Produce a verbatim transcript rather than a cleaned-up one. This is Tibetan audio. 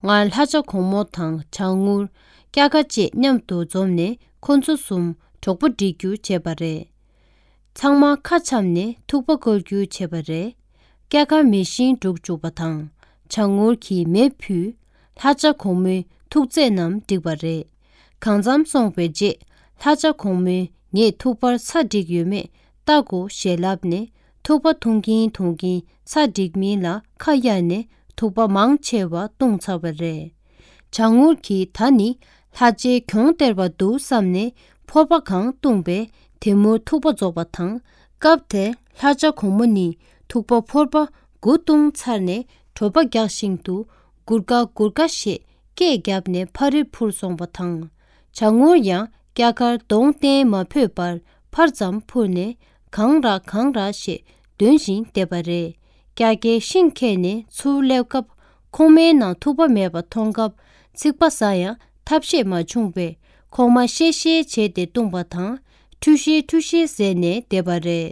སྔར་ལྷ་བྱ་གོང་མོ་དང་བྱ་ངུར། སྐྱ་ཀ་བཅས་མཉམ་དུ་འཛོམས་ནས་ཁོ་ཚོ་གསུམ་གྲོགས་པོ་སྒྲིག་རྒྱུ་བྱས་པ་རེད། ཚང་མ་ཁ་འཆམ་ནས་ཐུག་པ་བཀོལ་རྒྱུ་བྱས་པ་རེད། སྐྱ་ཀ་མེ་ཤིང་སྒྲུག་བཅུག་པ་དང་། བྱ་ངུར་གྱིས་མེ་ཕུད། ལྷ་བྱ་གོང་མོའི་ཐུག་རྫས་རྣམས་བསྒྲིགས་པ་རེད། གང་འཚམ་སོང་བའི་རྗེས་ལྷ་བྱ་གོང་མོས་ངས་ཐུག་པར་ཚྭ་བསྒྲིགས་ཡོད་མེད་ལྟ་དགོས་ཞེས་ལབ་ནས། ཐུག་པ་འཐུང་གིན་འཐུང་གིན་ཚྭ་བསྒྲིགས་མིན་ལ་ཁ་གཡར་ནས་ཐུག་པ་མང་ཆེ་བ་བཏུང་ཚར་བ་རེད། བྱ་ངུར་གྱིས་ད་ནི་ལྷ་རྗེའི་གྱོང་སྟེར་བ་འདུག་བསམ་ནས་ཕོར་པ་གང་བཏུངས་པས་དེ་མུར་ཐུག་པ་རྫོགས་པ་དང་། སྐབས་དེར་ལྷ་བྱ་གོང་མོ་ནི་ཐུག་པ་ཕོར་པ་དགུ་བཏུངས་ཚར་ནས་གྲོད་པ་རྒྱགས་བཞིན་དུ་གུར་དཀའ་གུར་དཀའ་ཞེས་སྐད་བརྒྱབ་ནས་ཕར་རི་འཕུར་སོང་བ་དང་། བྱ་ངུར་ཡང་སྐྱ་ཀར་གདོང་བསྟན་མ་ཕོད་པར་ཕར་ཙམ་འཕུར་ནས་གང་རག་གང་རག་ཞེས་འདོན་བཞིན་བསྡད་པ་རེད། སྐྱ་ཀས་ཤིང་ཁྱེར་ནས་ཚུར་སླེབས་སྐབས་ཁོག་མའི་ནང་ཐུག་པ་མེད་པ་མཐོང་སྐབས་ཚིག་པ་ཟ་ཡང་ཐབས་ཤེས་མ་བྱུང་བས་ཁོག་མ་བཤལ་བཤལ་བྱས་ཏེ་བཏུངས་པ་དང་། ཁྲུས་ཤེས་ཁྲུས་ཤེས་ཟེར་ནས་བསྡད་པ་རེད།